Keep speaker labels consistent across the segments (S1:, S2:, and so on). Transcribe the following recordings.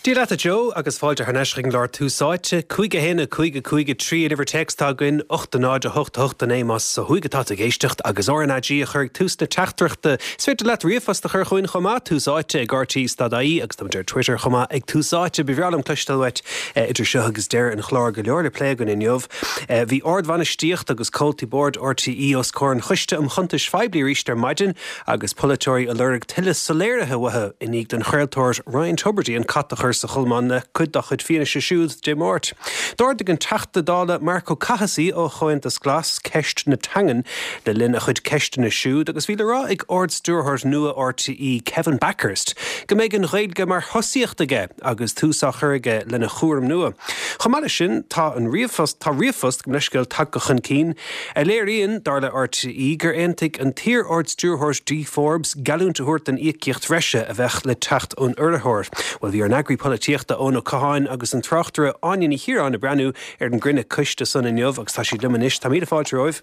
S1: Dia leat a Joe agus fáilte thar n-ais chuig an gclár Tús Áite. 5 1 5 5 3 an uimhir téacs atá againn, 8 0 8 8 9 más ó thuaidh atá tú ag éisteacht agus RnaG a chur ag tús na teachtaireachta. Is féidir leat ríomhphost a chur chugainn chomh maith, Tús Áite ag rte.ie agus táimid ar Twitter chomh maith ag Tús Áite. Ba bhreá liom cloisteáil uait idir seo agus deireadh an chláir. Go leor le plé againn inniu. Bhí ardbhainistíocht agus comhaltaí boird RTÉ os comhair an Choiste um Chuntais Phoiblí arís ar maidin agus polaiteoirí ag lorg tuilleadh soiléirithe uathu i ndiaidh don chraoltóir Ryan Tubridy an cat a chur sa cholmán le cuid dá chuid fianaise siúd Dé Máirt. D'ardaigh an Teachta Dála Marc Ó Cathasaigh ó Chomhaontas Glas ceist na teangan le linn a chuid ceisteanna siúd agus bhí le rá ag Ard-Stiúrthóir nua RTÉ Kevin Bakhurst go mbeidh an Ghaeilge mar thosaíocht aige agus tús á chur aige lena chúram nua. Chomh maith leis sin tá an ríomhphost tá ríomhphost gabh mo leithscéal tagtha chun cinn a léiríonn, dar le RTÉ, gur aontaigh an t-iar-Ard-Stiúrthóir Dee Forbes geallúint a thabhairt don íocaíocht bhreise a bheadh le teacht ón urraitheoir. Bhuel, bhí ár n-eagraí polaitíochta Eoin Ó Catháin agus an tráchtaire Áine Ní Chiaráin ag breathnú ar an gcruinniú coiste san inniu agus tá siad liom anois. Tá míle fáilte romhaibh.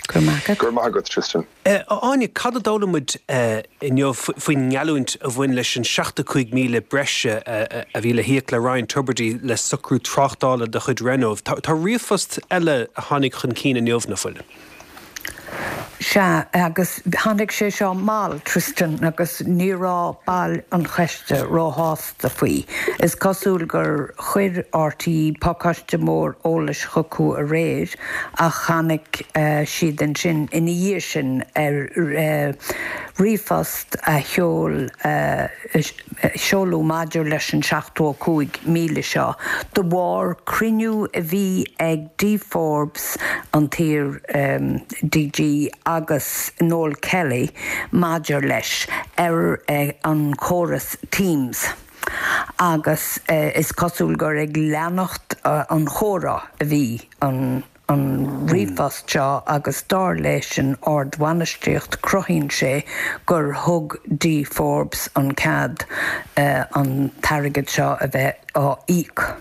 S2: Go raibh maith agat.
S3: Go raibh maith agat, Tristan.
S1: A Áine, cad a d'fhoghlaim muid inniu faoin ngeallúint a bhain leis an 75,000 breise a bhí le híoc le Ryan Tubridy le socrú tráchtála de chuid Renault? Tá ríomhphost eile a tháinig chun cinn inniu, nach bhfuil?
S2: Sea, agus tháinig sé seo mall, Tristan, agus ní raibh baill an choiste róshásta faoi. Is cosúil gur chuir RTÉ pacáiste mór eolais chucu aréir ach tháinig siad ansin ina dhiaidh sin ar ríomhphost a sheol seoladh maidir leis an 75,000 seo de bharr cruinniú a bhí ag Dee Forbes, an t-iar DG, agus Noel Kelly maidir leis ar an chóras Teams. Agus is cosúil gur ag leanacht an chomhrá a bhí an an ríomhphost seo agus dar leis an ardbhainistíocht cruthaíonn sé gur thug Dee Forbes an cead an t-airgead seo a bheith á íoc.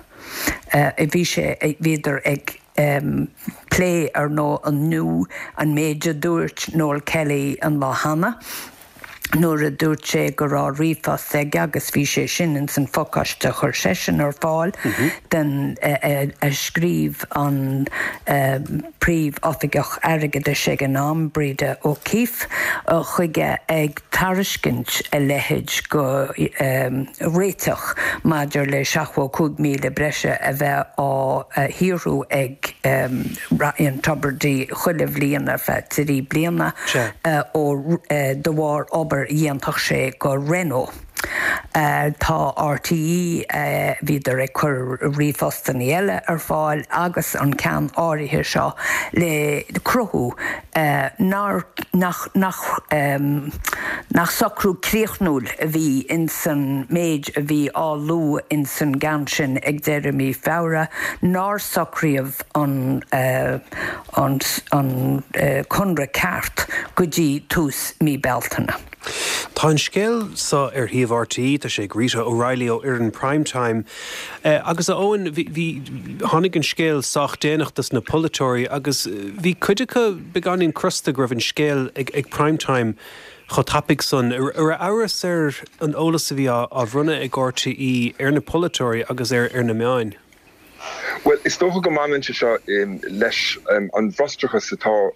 S2: Bhí sé, bhíodar ag plé ar ndóigh inniu an méid a dúirt Noel Kelly an lá cheana. nuair a dúirt sé go raibh ríomhphost aige agus bhí sé sin ins an phacáiste a chuir seisean ar fáil den a scríobh an Príomh-Oifigeach Airgeadais ag an am, Breda O'Keeffe, chuige ag tairiscint a leithéid de réiteach maidir le 75,000 breise a bheith á shaothrú ag Ryan Tubridy chuile bhliain ar feadh trí bliana ó de bharr obair a dhéanfadh sé go Renault. Tá RTÉ, bhíodar ag cur ríomhphostanna eile ar fáil agus an ceann áirithe seo le cruthú nár, nach, nach, nach socrú críochnúil a bhí ins an méid a bhí á lua ins an gceann sin ag deireadh mí Feabhra, nár socraíodh an an conradh ceart go dtí tús mí Bealtaine.
S1: Tá an scéal seo ar shuíomh RTÉ, tá sé ag Rita O'Reilly ó fhoireann Prime Time. Agus a Eoin, bhí, bhí, tháinig an scéal sách déanach dos na polaiteoirí agus bhí cuid acu beagáinín crosta go raibh an scéal ag, ag Prime Time chomh tapaidh san. An raibh amhras ar an eolas a bhí á, á bhronnadh ag RTÉ ar na polaiteoirí agus ar, ar na meáin?
S3: Bhuel, is dócha go mbaineann sé seo leis an bhfrustrachas atá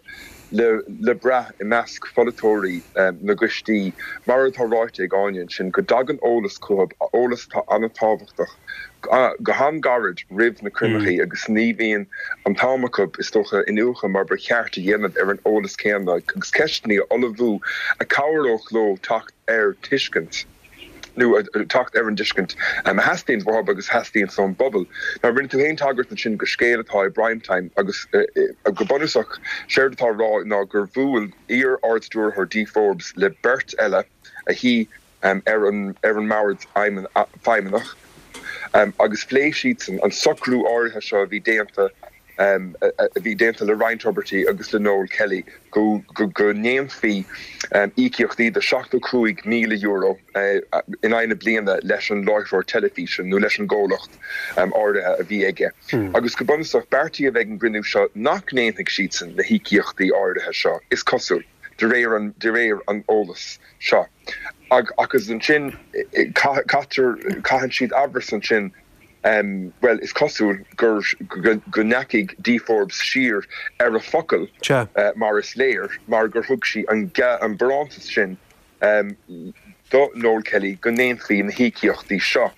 S3: le brath i measc pholaiteoirí na gcoistí, mar atá ráite ag Áine ansin, go dtagann eolas chucu, eolas atá an-tábhachtach, go han-ghairid roimh na cruinnithe agus ní bhíonn an t-am acu, is dócha, iniúchadh mar ba cheart a dhéanamh ar an eolas céanna agus ceisteanna a ullmhú a chabhródh leo teacht ar tuiscint. nó teacht ar an dtuiscint a theastaíonns uathu agus a theastaíonns ón bpobal. Now rinne tú féin tagairt ansin go scéal atá i Prime Time agus go bunúsach séard atá á rá ná gur bhuail iar-Ard-Stiúrthóir Dee Forbes le beirt eile a shuigh ar an ar an mbord feidhmeannach agus phléigh siadsan an socrú áirithe seo a bhí déanta a bhí déanta le Ryan Tubridy agus le Noel Kelly go ndéanfaí íocaíochtaí de €75,000 in aghaidh na bliana leis an láithreoir teilifíse nó leis an gcomhlacht áirithe a bhí aige. Agus go bunúsach, beartaíodh ag an gcruinniú seo nach ndéanfaidh siadsan na híocaíochtaí áirithe seo, is cosúil, de réir an eolais seo. Agus ansin caitear, caitheann siad amhras ansin, bhuel, is cosúil gur, go ndeachaigh Dee Forbes siar ar a focal, mar is léir, mar gur thug sí an barántas sin do Noel Kelly go ndéanfaí na híocaíochtaí seo.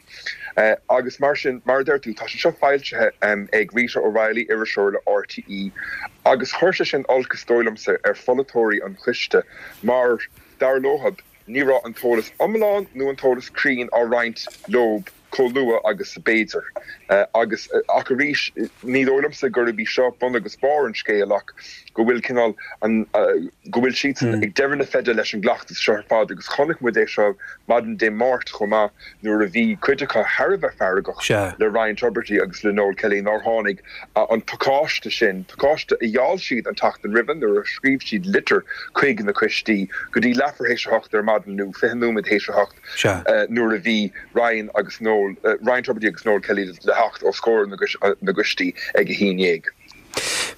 S3: Agus mar sin, mar a deir tú, tá sé seo foilsithe ag Rita O'Reilly, iriseoir le RTÉ, agus chuir sé sin olc, is dóigh liomsa, ar pholaiteoirí an choiste mar, dar leothab, ní raibh an t-eolas iomlán nó an t-eolas cruinn á roinnt leob chomh luath agus a b'fhéidir. Agus, ach arís, ní dóigh liomsa gurb í seo bun agus barr an scéil ach go bhfuil cineál an, go bhfuil siadsan ag deireadh na feide leis an gcleachtas seo ar fad agus chonaic muid é seo maidin Dé Máirt chomh maith nuair a bhí cuid acu thar a bheith feargach le Ryan Tubridy agus le Noel Kelly nár tháinig an pacáiste sin, pacáiste a gheall siad an tseachtain roimhe nuair a scríobh siad litir chuig na coistí, go dtí leathuair théis a hocht ar maidin nó 20 nóiméad théis a hocht nuair a bhí Ryan agus Noel, Ryan Tubridy agus Noel Kelly le theacht os comhair na gcoistí ag a haon dhéag.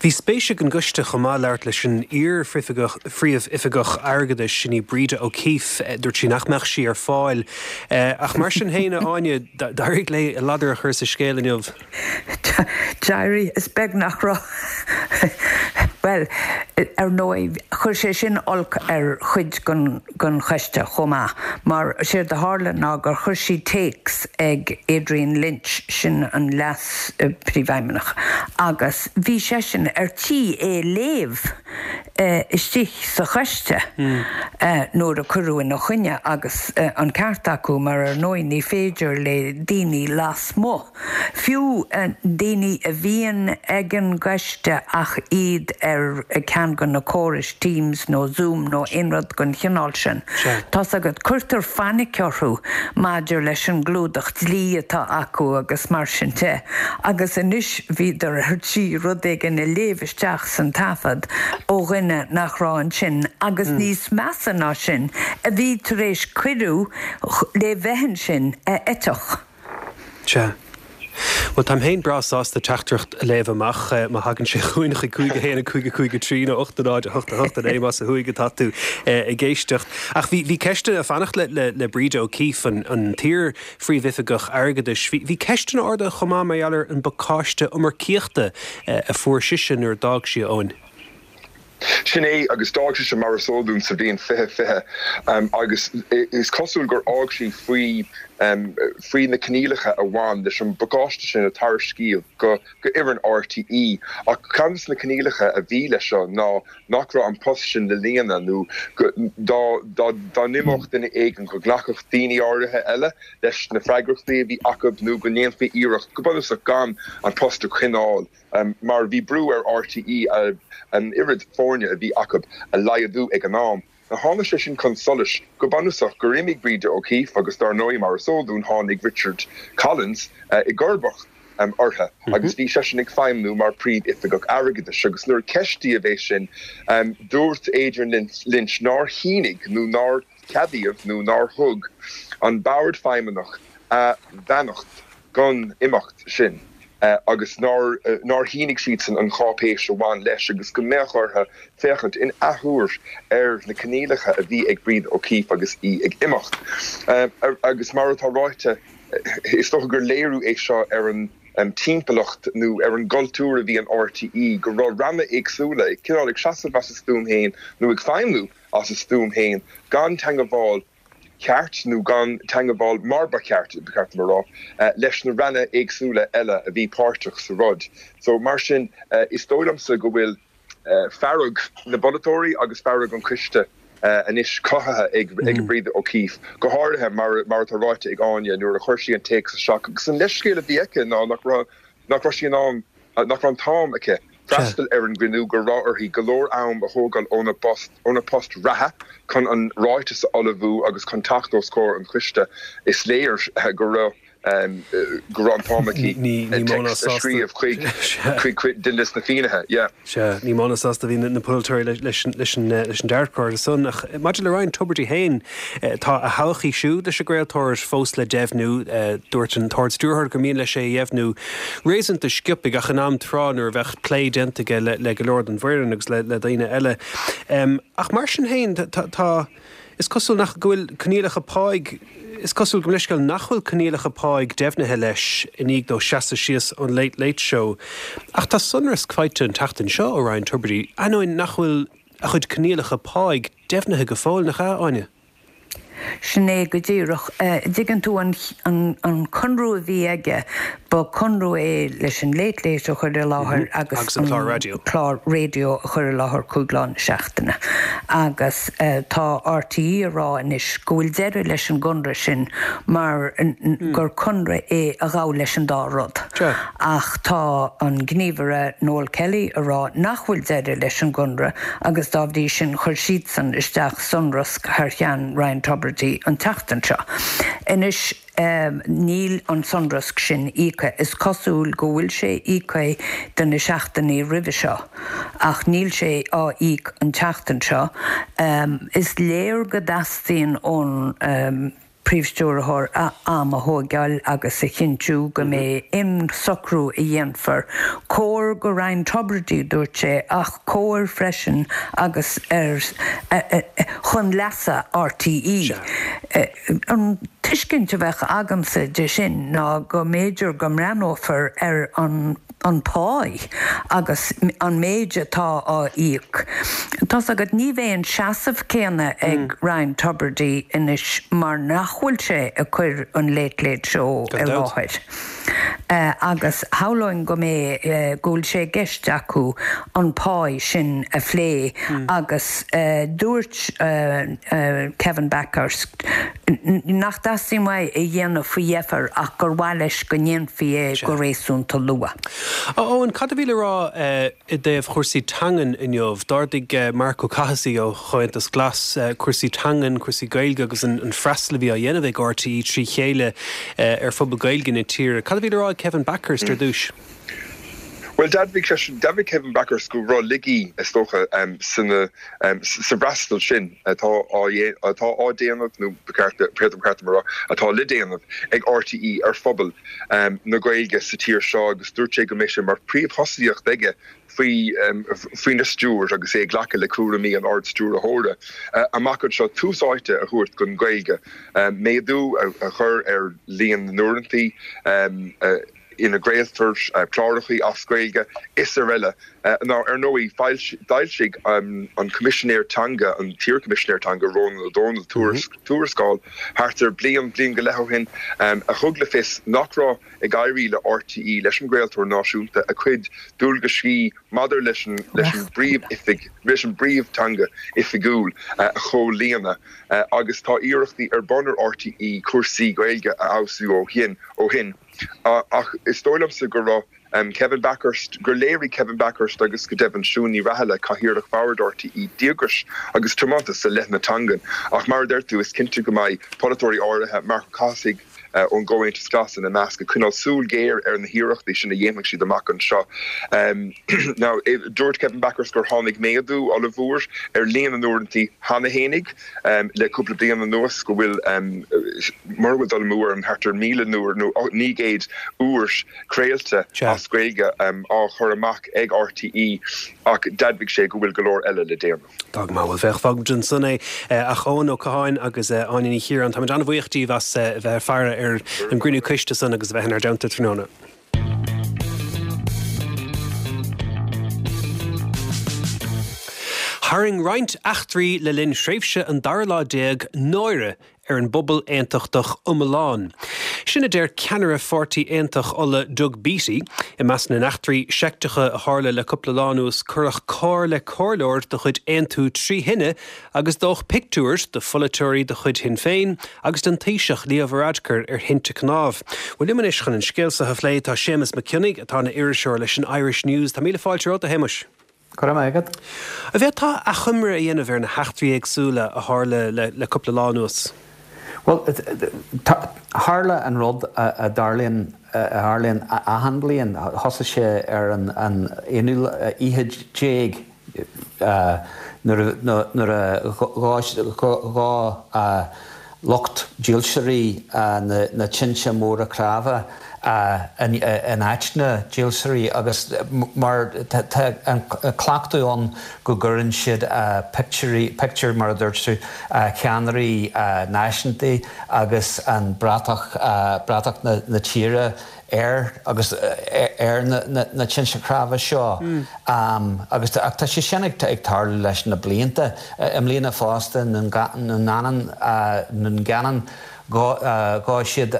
S1: Bhí spéis ag an gcoiste chomh maith labhairt leis an iar-Phríomhoifigeach Airgeadais, sin í Breda O'Keeffe. Dúirt sí nach mbeadh sí ar fáil. Ach mar sin féin, a Áine, d'éirigh léi a ladar a chur sa scéal inniu.
S2: D'éirigh, is beag nach raibh. Bhuel, ar ndóigh, chuir sé sin olc ar chuid den choiste chomh maith, mar séard a tharla ná gur chuir sí téacs ag Adrian Lynch, sin an Leas-Phríomhfheidhmeannach, agus bhí seisean ar tí é a léamh istigh sa choiste nuair a cuireadh ina choinne, agus an ceart acu, mar ar ndóigh ní féidir le daoine lasmuigh, Fiú daoine a bhíonn ag an gcoiste ach iad ar ceann de na córais Teams nó Zoom nó aon rud den chineál sin, tá's agat, cuirtear fainic orthu maidir leis an gclúdach dlí atá acu agus mar sin de. Agus anois bhíodar ar tí rud éigin a léamh isteach san taifead ó dhuine nach raibh ansin agus níos measa ná sin, a bhí tar éis cuireadh le bheith ansin a eiteach.
S1: Sea. Bhuel, táim féin breá sásta teachtaireacht a léamh amach má thagann sé chugainn chuig 5 1 5 5 3 nó 8 0 8 8 9 más ó thuaidh atá tú ag éisteacht. Ach bhí, bhí ceisteanna ag fanacht le, le, le Breda O'Keeffe, an, an t-iar-phríomhoifigeach airgeadais. Bhí, bhí ceisteanna ardaithe chomh maith mar gheall ar an bpacáiste iomarcaíochta a fuair sise nuair a d'fhág sí, a Eoin.
S3: Sin é, agus d'fhág sise, mar is eol dúinn, sa bhliain 2020, agus is cosúil gur fhág sí faoi faoi na coinníollacha a bhain leis an bpacáiste sin a tairiscíodh go fhoireann RTÉ. Ach ceann de na coinníollacha a bhí leis seo ná nach raibh an post sin le líonadh nó go dá dá n-imeodh duine éigin go nglacfadh daoine áirithe eile leis na freagrachtaí a bhí acu nó go ndéanfaí iarracht go bunúsach gan an post a choinneáil. mar bhí brú ar RTÉ an oiread foirne a bhí acu a laghdú ag an am. Now tháinig sé sin chun solais go bunúsach gur imigh Breda O'Keeffe agus dar ndóigh mar is eol dúinn tháinig Richard Collins i gcomharbacht uirthi agus bhí seisean ag feidhmniú mar Príomh-Oifigeach Airgeadais agus nuair a ceistíodh é sin dúirt Adrian Lynch nár shínigh nó nár ceadaíodh nó nár thug an Bord Feidhmeannach a bheannacht don imeacht sin agus nár nár shínigh siadsan an cháipéis a bhain leis agus go mbeadh orthu féachaint in athuair ar na coinníollacha a bhí ag Breda O'Keeffe agus í ag imeacht. Agus mar atá ráite, is dócha gur léiriú é seo ar an timpeallacht nó ar an gcultúr a bhí in RTÉ, go raibh ranna éagsúla ag cineál ag seasamh as a stuaim féin nó ag feidhmiú as a stuaim féin gan teangabháil cheart, nó gan teangabháil mar ba cheart, ba cheart dom a rá, leis na ranna éagsúla eile a bhí páirteach sa rud. So, mar sin, is dóigh liomsa go bhfuil fearg na bpolaiteoirí agus fearg an choiste anois cothaithe ag Breda O'Keeffe, go háirithe, mar atá ráite ag Áine, nuair a chuir sí an téacs isteach agus an leithscéal a bhí aici ná nach raibh, nach raibh sí in ann, nach raibh an t-am aici freastal ar an gcruinniú, go raibh uirthi go leor am a thógáil óna post, óna post reatha chun an ráiteas a ullmhú agus chun teacht os comhair an choiste. Is léir go raibh go raibh an t-am aici téacs a scríobh chuig chuig duine de na finnéithe. Yeah.
S1: Sea, ní mó ná sásta a bhí na polaiteoirí leis an dearcadh san. Ach maidir le Ryan Tubridy féin, tá a thodhchaí siúd leis an gcraoltóir fós le deimhniú. Dúirt an tArd-Stiúrthóir gur mian leis é a dheimhniú réasúnta sciobtha ach in am tráth nuair a bheadh plé déanta aige le go leor den bhfoireann agus le daoine eile. Ach mar sin féin, tá. Is cosúil nach go bhfuil coinníollacha páigh, is cosúil, gabh mo leithscéal, nach bhfuil coinníollacha páigh deimhnithe leis i ndiaidh dó seasamh síos ón Late Late Show. Ach tá sonrasc faighte an tseachtain seo ó Ryan Tubridy, ainneoin nach bhfuil a chuid coinníollacha páigh deimhnithe go fóill, nach ea, Áine?
S2: Sin é go díreach. Dtuigeann tú, an conradh a bhí aige, ba conradh é leis an Late Late a chur i láthair agus an clár raidió a chur i láthair 5 lá na seachtaine. Agus tá RTÉ a rá anois go bhfuil deireadh leis an gconradh sin mar gur conradh é a ghabh leis an dá rud. Ach tá an gníomhaire Noel Kelly a rá nach bhfuil deireadh leis an gconradh agus dá bhrí sin chuir siadsan isteach sonrasc thar cheann Ryan Tubridy an tseachtain seo. Anois níl an sonrasc sin íoctha. Is cosúil go bhfuil sé íoctha do na seachtainí roimhe seo ach níl sé á íoc an tseachtain seo. Is léir go dteastaíonn ón Príomh-Stiúrthóir am a thóigeáil agus a chinntiú go mbeidh aon socrú a dhéanfar cóir go Ryan Tubridy, dúirt sé, ach cóir freisin agus ar chun leasa RTÉ. An tuiscint a bheadh agamsa de sin ná go mb'fhéidir go mbreathnófar ar an an pá agus an méid atá á íoc. Tá's agat, ní bheidh an seasamh céanna ag Ryan Tubridy anois mar nach bhfuil sé ag cur an Late Late Show i láthair. Agus shamhlóinn go mbeidh, go bhfuil sé i gceist acu an pá sin a phlé agus dúirt Kevin Bakhurst nach dteastaíonn uaidh é a dhéanamh faoi dheifir ach gur mhaith leis go ndéanfaí é go réasúnta luath.
S1: A Eoin, cad a bhí le rá i dtaobh chúrsaí teangan inniu? D'ardaigh Marc Ó Cathasaigh ó Chomhaontas Glas cúrsaí teangan, cúrsaí Gaeilge agus an freastal a bhí á dhéanamh ag RTÉ trí chéile ar phobal Gaeilge na tíre. Cad a bhí le rá ag Kevin Bakhurst ar dtús?
S3: Bhuel, d'admhaigh seisean, d'admhaigh Kevin Bakhurst go raibh laigí, is dócha, sa bhfreastal sin atá á, atá á déanamh, nó ba cheart, ba cheart dom a rá, atá le déanamh ag RTÉ ar phobal na Gaeilge sa tír seo agus dúirt sé go mbeidh sé mar phríomhthosaíocht aige faoi, faoina stiúir agus é ag glacadh le cúraimí an Ard-Stiúrthóra amach anseo tús áite a thabhairt don Ghaeilge, méadú a chur ar líon na n-uaireantaí. ina gcraoltar cláracha as Gaeilge is araile. Now, ar ndóigh, d'fhoilsigh an Coimisinéir Teanga, an t-iarChoimisinéir Teanga, Rónán Ó Domhnaill, tuarascáil thart ar bliain, bliain go leith ó shin, a thug le fios nach raibh ag éirí le RTÉ, leis an gcraoltóir náisiúnta, a cuid dualgaisí maidir leis an bpríomh-oifig, leis an bpríomh-teanga oifigiúil a chomhlíonadh agus tá iarrachtaí ar bun ar RTÉ cúrsaí Gaeilge a fheabhsú ó shin. Ach is dóigh liomsa go raibh Kevin Bakhurst, gur léirigh Kevin Bakhurst agus go deimhin Siún Ní Raghallaigh, Cathaoirleach Bhord RTÉ, díograis agus tiomantas i leith na teangan. Ach mar a deir tú, is cinnte go mbeidh polaiteoirí áirithe, Marc Ó Cathasaigh ón gComhaontas Glas ina measc, ag coinneáil súil ghéar ar na hiarrachtaí sin a dhéanfaidh siad amach anseo. Now, dúirt Kevin Bakhurst gur tháinig méadú ollmhór ar líon na n-uaireanta cheana fhéinig. Le cúpla bliain anuas go bhfuil, mura bhfuil dul amú orm, thart ar 1,000 uair nó 900 uair craolta as Gaeilge á chur amach ag RTÉ ach d'admhaigh sé go bhfuil go leor eile le déanamh.
S1: Tá go maith, bhuel féach, fágfaimid ansan é. Ach Eoin Ó Catháin agus Áine Ní Chiaráin, táimid an-bhuíoch díbh as a bheith ag faire ar an gcruinniú coiste san agus a bheith inár dteannta tráthnóna. Tharraing roinnt eachtraí le linn thréimhse an dara lá déag náire ar an bpobal aontachtach iomlán. Sin a deir ceannaire Pháirtí Aontaithe Uladh Doug Beattie. I measc na n-eachtraí seicteacha a tharla le cúpla lá anuas cuireadh carr le comhairleoir de chuid Aontú trí thine Agus dódh pictiúir de pholaiteoirí de chuid Shinn Féin agus den Taoiseach Leo Varadkar ar thinte cnámh. Bhuel liom anois chun an scéal seo a phlé tá Séamus Mac Cionnaith atá ina iriseoir leis an Irish News. Tá míle fáilte romhat a Shéamuis.
S4: Go raibh maith agat.
S1: An bhféadfá achoimre a dhéanamh ar na heachtraí éagsúla a tharla le cúpla lá anuas?
S4: Bhuel, tharla an rud a dtarlaíonn a tharlaíonn achan bliain. Thosaigh sé ar an aonú oíche déag. nuair a dhóigh lucht dílseoirí na tinte móra cnámha. In áit na dílseoirí agus mar tá an cleachtadh ann go gcuireann siad pictiúirí, pictiúir mar a dúirt tú, ceannairí náisiúnta agus an bratach, bratach na tíre ar agus ar na tinte cnámha seo agus ach tá sé sin ag tarlú leis na blianta. I mbliana fosta i nDún Geanainn dhóigh siad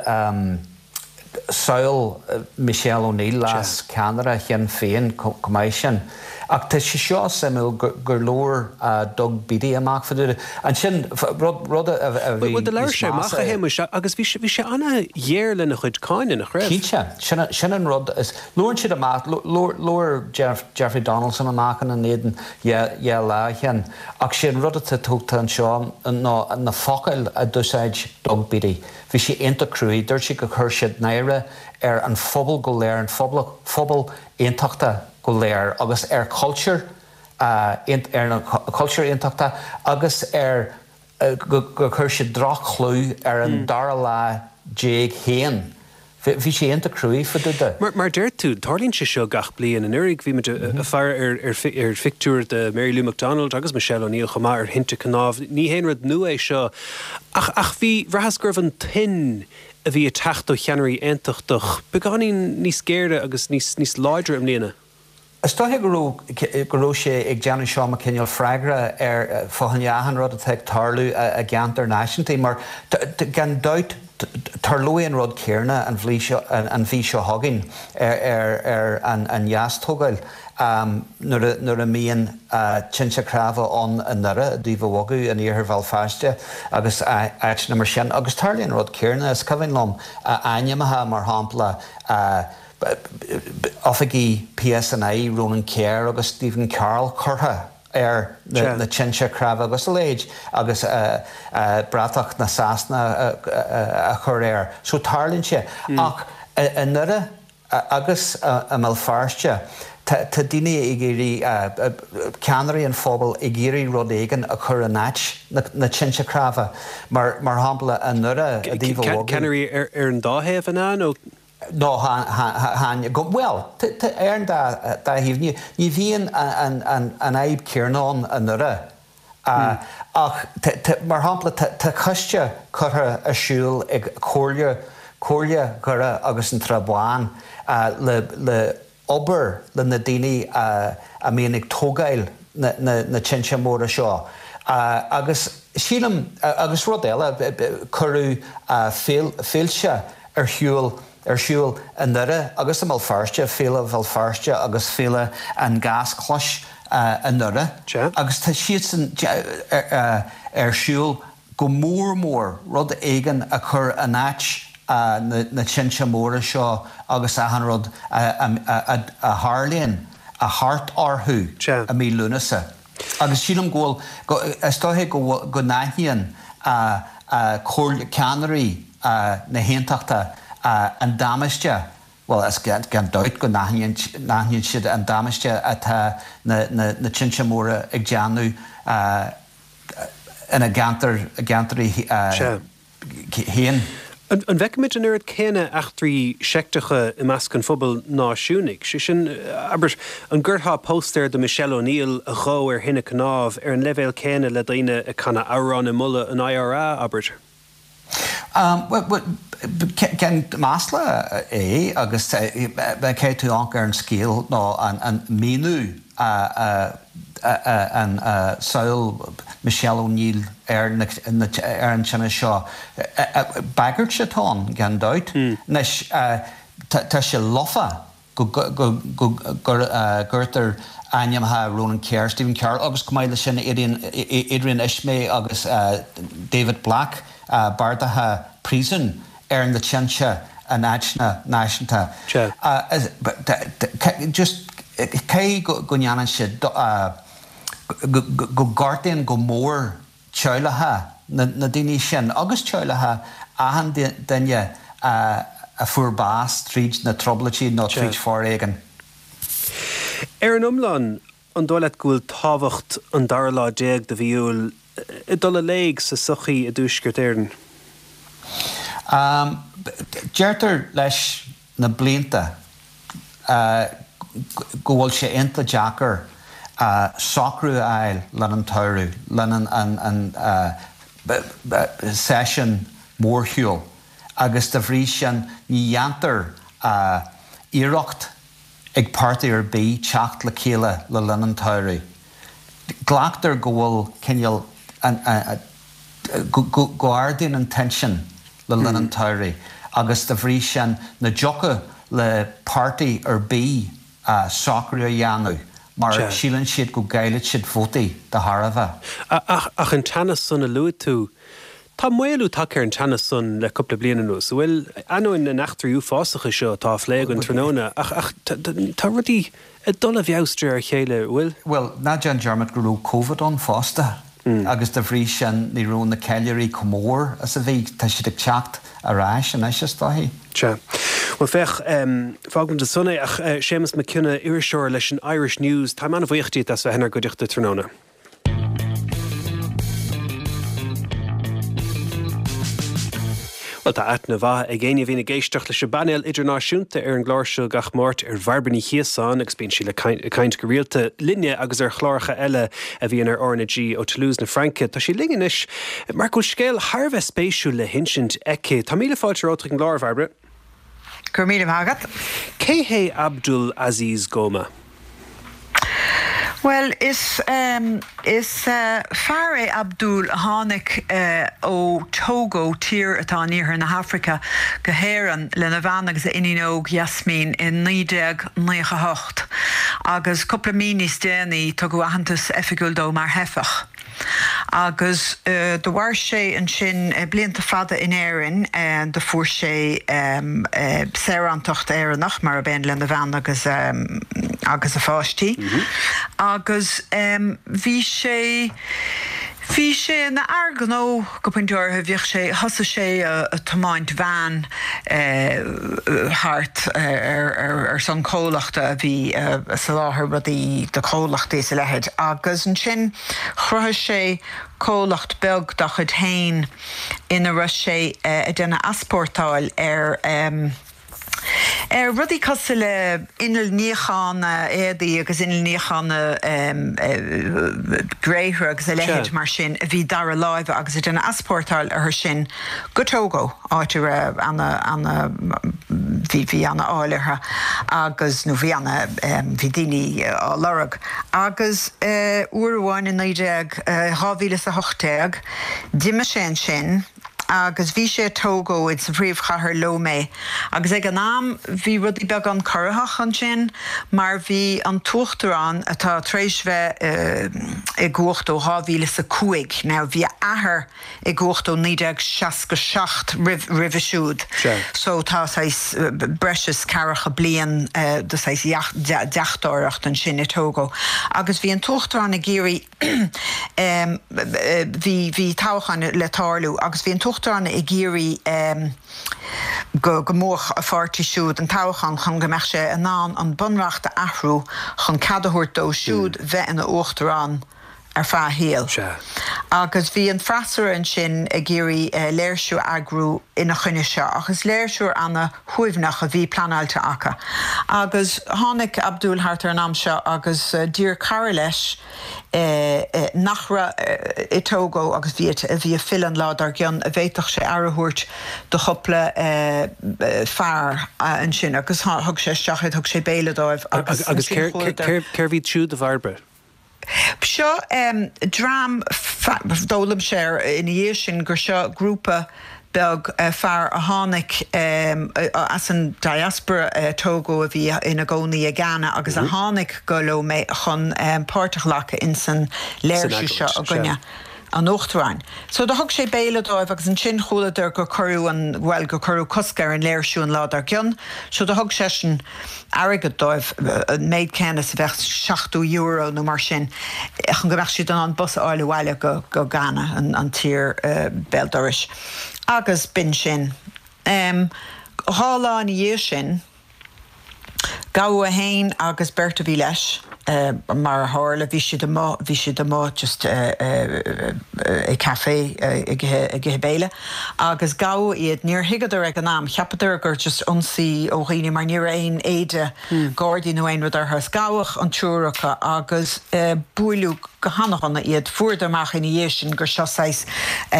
S4: samhail Michelle O'Neill, leas ceannaire Shinn Féin chomh maith sin. Ach tá sé seo suimiúil gur labhair Doug Beattie amach fá dtaobh de. Ansin, rud a bhí
S1: Bhuel, do labhair
S4: níos
S1: sé amach,
S4: measa.
S1: a Shéamuis, agus bhí sé, bhí sé ana-ghéar lena chuid cáinte, nach raibh?
S4: Cinnte. Sin, sin an rud is, labhrann siad amach, labhair Jeffrey Donaldson amach ina n-éadan dhá lá ó shin. Ach sé an rud atá tábhachtach anseo ná na focail a d'úsáid Doug Beattie. Bhí sé iontach cruaidh. Dúirt sé gur chuir siad náire ar an phobal go léir, an phobal aontachtach go léir agus ar chultúr, ar an chultúr aontachtach agus ar, gur chuir siad droch-chlú ar an dara lá déag féin. Bhí sé iontach cruaidh fá dtaobh de.
S1: Mar a deir tú, tarlaíonn sé seo gach bliain. Anuraidh bhí muid ag faire ar phictiúr de Mary Lou McDonald agus Michelle O'Neill chomh maith ar thinte cnámh. Ní haon rud nua é seo ach ach bhí, bhraitheas go raibh an tuin a bhí ag teacht ó cheannairí aontachtach beagáinín níos géire agus níos níos láidre i mbliana.
S4: Is dóiche go raibh go raibh sé ag déanamh seo mar cineál freagra ar fá choinne achan rud atá ag tarlú i gceantair náisiúntaí mar gan dabht tarlóidh an rud céarna an mhí seo an mhí seo chugainn ar ar an an dheastógáil nuair a nuair a mbíonn tinte cnámha ann i nDoire i dTaobh a' Bhogaidh in iarthar Bhéal Feirste agus áiteanna mar sin agus tarlaíonn an rud céarna. Is cuimhin liom ainmneacha mar shampla Oifigigh PSNI Ronan Kerr agus Stephen Carroll curtha ar na tinte cnámha agus a leithéid agus bratach na Sasana a chur air. So tarlaíonn sé. Ach i nDoire agus i mBéal Feirste tá daoine ag iarraidh, ceannairí an phobail ag iarraidh rud éigin a chur in áit na tinte cnámha. Mar shampla i nDoire i dTaobh a' Bhogaidh.
S1: Ceannairí ar an dá thaobh, an ea? Nó.
S4: Nó chan, bhuel, ar an dá thaobh. Ní bhíonn an fhadhb céarna ann i nDoire. Ach, mar shampla, tá coiste curtha ar siúl ag Comhairle, Comhairle Dhoire agus an Tsrath Bháin le obair le na daoine a mbíonn ag tógáil na tinte móra seo. Agus sílim, agus rud eile, cuireadh féilte ar shiúl ar siúl i nDoire agus i mBéal Feirste, Féile Bhéal Feirste agus Féile an Ghaschlais i nDoire, agus tá siadsan ar siúl go mór mór rud éigin a chur in áit na tinte móra seo agus achan rud a tharlaíonn thart orthu i mí Lúnasa. Agus sílim go bhfuil, is dóiche go n-aithníonn ceannairí na hAontachta an damáiste, bhuel, is gan dabht go n-aithníonn siad an damáiste atá na tinte móra ag déanamh ina gceantair féin.
S1: An bhfeicfimid an oiread céanna eachtraí seicteacha i measc an phobail náisiúnaigh? Sé sin, abair, an gcuirfeá póstaer de Michelle O'Neill a dhó ar thine cnámh ar an leibhéal céanna le daoine ag canadh amhrán ag moladh an IRA, abair?
S4: Bhuel, cén masla é agus caithfidh tú amharc ar an scéal nó an míniú a an samhail Michelle O'Neill ar ar an tine seo. Bagairt atá ann, gan dabht. Anois, tá sé lofa go gcuirtear ainmneacha Ronan Kerr, Stephen Carroll agus chomh maith leis sin Adrian Ismay agus David Black bardaithe príosúin ar na tinte in áiteanna náisiúnta. Just caithfidh go ndéanann siad, go gortaíonn go mór teaghlacha na daoine sin agus teaghlacha achan duine a fuair bás tríd na trioblóidí nó tríd foréigean.
S1: Ar an iomlán, An dóigh leat go bhfuil tábhacht an dara lá déag de mhí Iúil ag dul i léig sa tsochaí i dTuaisceart Éireann?
S4: Deirtear leis na blianta go bhfuil sé iontach deacair socrú a fháil le linn an tsamhraidh, le linn an séasúr mórshiúil agus dá bhrí sin ní dhéantar iarracht ag páirtí ar bith teacht le chéile le linn an tsamhraidh. Glactar go bhfuil cineál go ardaíonn an tension le linn an tsamhraidh agus dá bhrí sin ní thiocfadh le páirtí ar bith socrú a dhéanamh mar síleann siad go gcaillfidh siad vótaí dá thairbhe.
S1: Ach an teannas san a luaigh tú, tá maolú tagtha ar an teannas san le cúpla bliain anuas, an bhfuil? Ainneoin na n-eachtraí uafásacha seo atá á phlé againn tráthnóna, ach tá rudaí ag dul i bhfeabhas de réir a chéile, an bhfuil?
S4: Bhuel, ná déan dearmad go raibh Covid ann fosta agus dá bhrí sin ní raibh na ceiliúraí chomh mór is a bhí. Tá siad ag teacht ar ais anois is dóichí.
S1: Sea. Bhuel, féach, fágfaimid ansan é ach Séamus Mac Cionnaith, iriseoir leis an Irish News, táim an-bhuíoch díot as bheith inár gcuideachta tráthnóna. Bhuel, tá aithne mhaith ag éinne a bhíonn ag éisteacht leis an bpainéal idirnáisiúnta ar an gclár seo gach Máirt ar Bhairbre Ní Chíosáin agus bíonn sí le caint go rialta linne agus ar chláracha eile a bhíonn ar RnaG ó Toulouse na Fraince. Tá sí linn anois mar go bhfuil scéal thar a bheith spéisiúil le hinsint aici. Tá míle fáilte romhat chuig an gclár, a Bhairbre.
S5: Go raibh míle maith agat.
S1: Cé hé Abdul Aziz Goma?
S5: Bhuel, is is fear é Abdul a tháinig ó Togo, tír atá in iarthar na hAfraice, go hÉireann lena bhean agus a iníon óg Yasmin i 1998 agus cúpla mí níos déanaí tugadh aitheantas oifigiúil dó mar theifeach. Agus do mhair sé ansin blianta fada in Éirinn. Do fuair sé saorántacht Éireannach, mar ab aon lena bhean agus agus a pháistí. Agus bhí sé, bhí sé ina fhear gnó go pointe áirithe. Bhíodh sé, thosaigh sé a tiomáint veain thart ar son comhlachta a bhí a soláthar rudaí do chomhlachtaí is a leithéid. Agus ansin Chruthaigh sé comhlacht beag dá chuid féin ina raibh sé ag déanamh easpórtáil ar ar rudaí cosúil le innill níocháin éadaí agus innill níocháin gréithre agus a leithéid mar sin a bhí dara láimhe agus ag déanamh easpórtáil orthu sin go Togo, áit a raibh ana, ana, bhí, bhí ana fháil orthu agus, nó bhí ana, bhí daoine á lorg. Agus uair amháin i 19, 2018, d'imigh sé ansin agus bhí sé i Togo, ins an phríomhchathair Lomé, agus ag an am bhí rudaí beagán corraitheach ansin mar bhí an t-uachtarán, atá tar éis bheith i gcumhacht ó 2005, now bhí a athair, i gcumhacht ó 1967 roimhe siúd so tá saghas breis is ceathracha bliain de saghas deachtóireacht ansin i Togo agus bhí an t-uachtarán ag iarraidh bhí bhí toghchán le tarlú agus bhí an t-uachtarán ag iarraidh go go mbuafadh a pháirtí siúd an toghchán chun go mbeadh sé in ann an bunreacht a athrú chun cead a thabhairt dó siúd bheith ina uachtarán ar feadh a shaoil.
S1: Sea.
S5: Agus bhí an freasúra ansin ag iarraidh léirsiú a eagrú ina choinne seo, ach is léirsiú ana-shuaimhneach a bhí pleanáilte acu. Agus tháinig Abdul thart ar an am seo agus d'iarr cara leis, nach raibh i Togo agus bhí a bhí ag filleadh an lá dár gcionn, an bhféadfadh sé aire a thabhairt do chúpla fear ansin agus thug sé isteach iad, thug sé béile dóibh
S1: agus Agus ansin chuadar. cérbh iad siúd, a Bhairbre?
S5: Seo dream, d'fhoghlaim sé ina dhiaidh sin gur seo grúpa beag fear a tháinig as an diaspora Togo a bhí ina gcónaí i Ghana agus a tháinig go Lomé chun páirt a ghlacadh insan léirsiú seo i gcoinne an uachtaráin. So do thug sé béile dóibh agus ansin chualadar gur cuireadh an, bhuel gur cuireadh cosc ar an léirsiú an lá dár gcionn. So do thug seisean airgead dóibh, an méid céanna is a bheadh €70 nó mar sin, chun go mbeadh siad in ann bus a fháil abhaile go go Ghana, an tír béal dorais. Agus b'in sin. 2 lá ina dhiaidh sin, gabhadh é féin agus beirt a bhí leis. Mar a tharla, bhí siad amuigh, bhí siad amuigh just i café ag ithe béile agus gabhadh iad. Níor thuigeadar ag an am, cheapadar gur just ionsaí ó dhaoine mar ní raibh aon éide Gardaí nó aon rud orthu. Is gabhadh an triúr acu agus buaileadh go hana-dhona iad. Fuaireadar amach ina dhiaidh sin gur seo saghas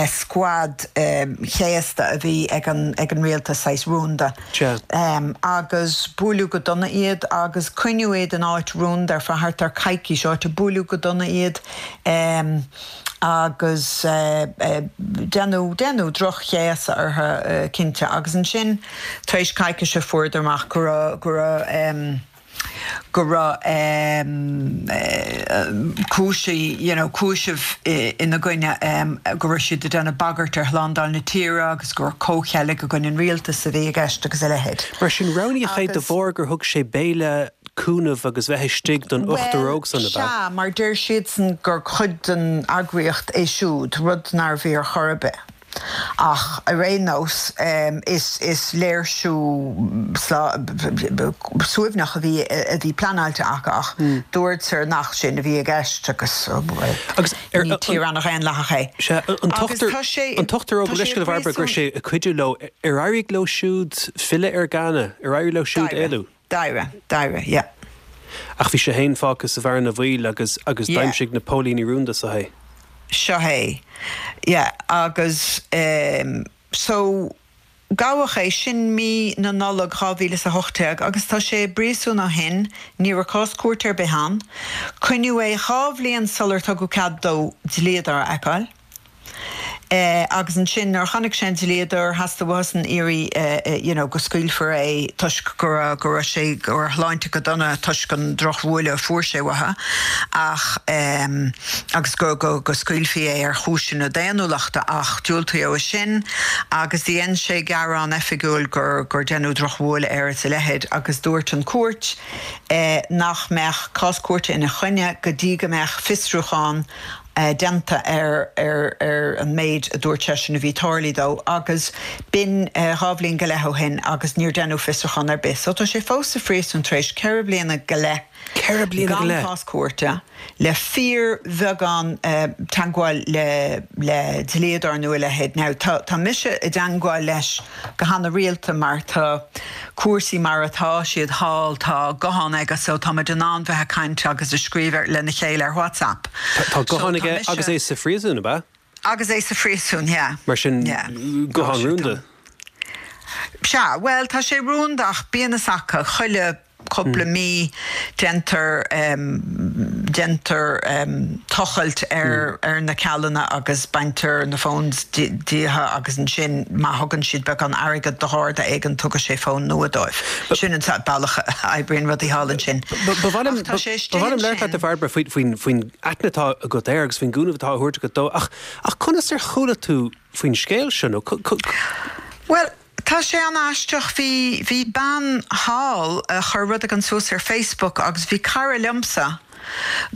S5: squad céasta a bhí ag an rialtas, saghas rúnda. Agus buaileadh go dona iad agus coinníodh iad in áit rúnda ar feadh thart ar coicís, áit a buaileadh go dona iad agus deineadh, deineadh droch-chéasadh orthu cinnte. Agus ansin tar éis coicíse fuaireadar amach go raibh, go raibh. go raibh cúiseamh, you know, cúiseamh ina gcoinne, go raibh siad ag déanamh bagairt ar shlándáil na tíre agus gur comhcheilg i gcoinne an rialtais a bhí i gceist agus a leithéid.
S1: Mar sin, roghnaíodh é de bharr gur thug sé béile, cúnamh agus bheith istigh don ochtar óg san, ab
S5: ea? Bhuel, sea, mar deir siadsan gur cuid den eagraíocht é siúd, rud nárbh fhíor chor ar bith. Ach ar aon nós, is léirsiú suaimhneach a bhí a bhí pleanáilte acu ach dúradar nach sin a bhí i gceist agus ní tír ana-dhaonlathach
S1: é. Sea, an t-ochtar óg, gabh mo leithscéal a Bhairbre, go raibh sé ag cuidiú leo, ar éirigh leo siúd filleadh ar Ghana? Ar éirigh leo siúd éalú?
S5: D'éirigh, d'éirigh, yeah.
S1: Ach bhí sé fhéin fágtha sa bhearna bhaoil agus, agus d'aimsigh na póilíní rúnda seo é.
S5: Seo é, yeah, agus ehm, so, gabhadh é, sin mí na Nollag 2018 agus tá sé i bpríosún ó shin, ní raibh cás cúirte ar bith ann. Coinníodh é dhá bhliain sular tugadh cead dó dlíodóir a fheiceáil. Agus ansin nuair a chonaic sé an dlíodóir, theastaigh uathusan iarraidh you know go scaoilfear é toisc go raibh, go raibh sé, go raibh a shláinte go dona toisc an drochbhualadh a fuair sé uathu ach agus go, go, go scaoilfí é ar chúiseanna daonnúlachta ach diúltaíodh é sin agus dhein sé gearán oifigiúil gur, gur deineadh drochbhualadh air is a leithéid agus dúirt an chúirt nach mbeadh cás cúirte ina choinne go dtí go mbeadh fiosrúchán déanta ar ar an méid a dúirt seisean a bhí tarlaithe dó agus b'in dhá bhliain go leith ó shin agus níor deineadh fiosrúchán ar bith. So tá sé fós sa phríosún tar éis ceithre bliana go leith
S1: bliana
S5: gan cás cúirte, le fíorbheagán teagmháil le le dlíodóir nó a leithéid. Now tá tá mise i dteagmháil leis go hana-rialta mar tá cúrsaí mar atá siad thall, tá guthán aige so táimid in ann bheith ag caint agus ag scríobh lena chéile ar WhatsApp.
S1: Tá guthán aige agus é sa phríosún, ab ea?
S5: Agus é sa phríosún, yeah.
S1: Mar sin, guthán rúnda?
S5: Sea, bhuel tá sé rúnda ach bíonn fhios acu chuile cúpla mí déantar déantar tochailt ar ar na ceallanna agus baintear na phones díothu agus ansin má thugann siad beagán airgead do gharda éigin tugann sé fón nua dóibh. Sin an bealach a oibríonn rudaí thall ansin.
S1: Ba mhaith liom ba mhaith liom labhairt leat a Bhairbre faoi faoin faoin aithne atá agat air agus faoin gcúnamh atá á thabhairt agat dó ach ach conas ar chuala tú faoin scéal seo nó
S5: Bhuel, Tá sé an-aisteach. Bhí, bhí bean thall a chuir rud éigin suas ar Facebook agus bhí cara liomsa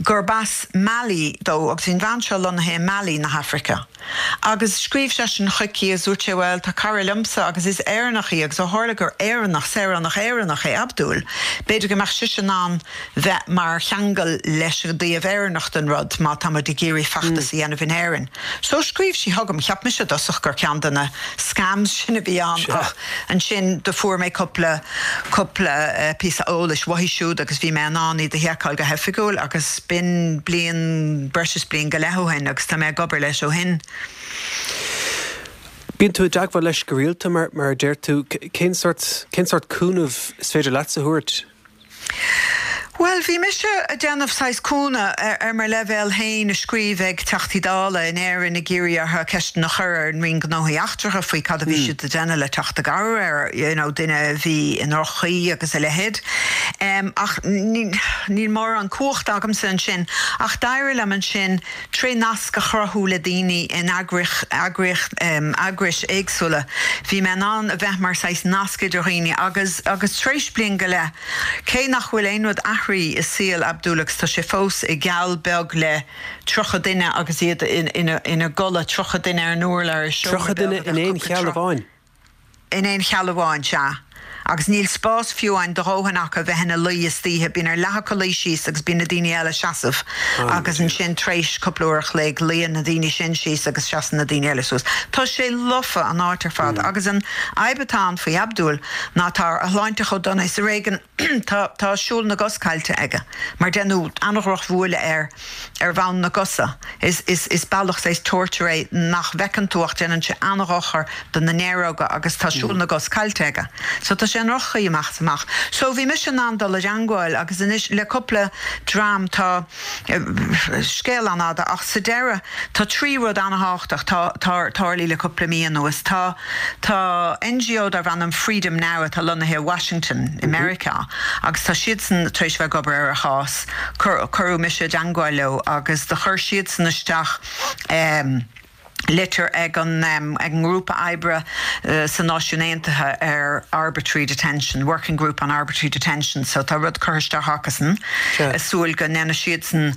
S5: gurb as Mali dó agus bhí an bhean seo lonnaithe i Mali na hAfraice. Agus scríobh seisean chuici agus dúirt sé bhuel tá cara liomsa agus is Éireannach í agus ó tharla gur Éireannach, saoránach Éireannach é Abdul, b'fhéidir go mbeadh sise in ann bheith mar cheangal leis an dtaobh Éireannach den rud má tá muid ag iarraidh feachtas a dhéanamh in Éirinn. So scríobh sí chugam, cheap mise i dtosach gur ceann de na scams sin a bhí ann ach ansin do fuair mé cúpla, cúpla píosa eolais uaithi siúd agus bhí mé in ann iad a sheiceáil go hoifigiúil agus b'in bliain, breis is bliain go leith ó shin agus tá mé ag obair leis ó shin.
S1: Bíonn tú i dteagmháil leis go rialta mar, mar a deir tú, cén sórt, cén sórt cúnamh is féidir leatsa a thabhairt?
S5: Bhuel, bhí mise ag déanamh saghas cúnamh ar mo leibhéal féin ag scríobh ag Teachtaí Dála in Éirinn ag iarraidh orthu ceisteanna a chur ar an Roinn Gnóthaí Eachtracha faoi cad a bhí siad ag déanamh le teacht i gcabhair ar you know duine a bhí i ndroch-chaoi agus a leithéid. Ach níl mórán cumhachta agamsa ansin. Ach d'éirigh liom ansin Tré nasc a chruthú le daoine in eagrais éagsúla, bhí mé in ann a bheith mar saghas nasc idir dhaoine agus agus tar éis bliain go leith, cé nach bhfuil aon rud athraithe i saol Abdul agus tá sé fós i gceall beag le 30 duine agus iad ina gcodladh, 30 duine ar an urlár i seomra
S1: 30 duine
S5: beag a
S1: in
S5: bheadh
S1: aon
S5: cúpla
S1: cheall amháin?
S5: In aon cheall amháin, sea. Agus níl spás fiú amháin do dhóthain acu bheith ina luí istoíche, bíonn ar leath acu luí síos agus bíonn na daoine eile ag seasamh agus ansin tar éis cúpla uair a chloig luíonn na daoine sin síos agus seasann na daoine eile suas. Tá sé lofa, an áit ar fad. Agus an fhadhb atá ann faoi Abdul ná tá a shláinte chomh dona is ar éigean tá tá siúl na gcos caillte aige mar deineadh an-dhrochbhuaile air ar bhonn na gcosa. Is is is bealach saghas torture é nach bhfeiceann tú ach déanann sé an-dhochar do na néaróga agus tá siúl na gcos caillte aige. So tá sé i ndroch-chaoi amach is amach. So bhí mise in ann dul i dteangmháil agus anois le cúpla dream tá scéal an-fhada ach sa deireadh tá 3 rud an-thábhachtach tá tá tarlaithe le cúpla mí anuas. Tá tá NGO darb ainm Freedom Now atá lonnaithe i Washington i Meiriceá agus tá siadsan tar éis bheith ag obair ar a chás. Cuireadh mise i dteangmháil leo agus do chuir siadsan isteach litir ag an ag an ngrúpa oibre sa Náisiún Aontaithe ar Arbitrary Detention, Working Group on Arbitrary Detention, so tá rud curtha isteach acusan ag súil go ndéanfaidh siadsan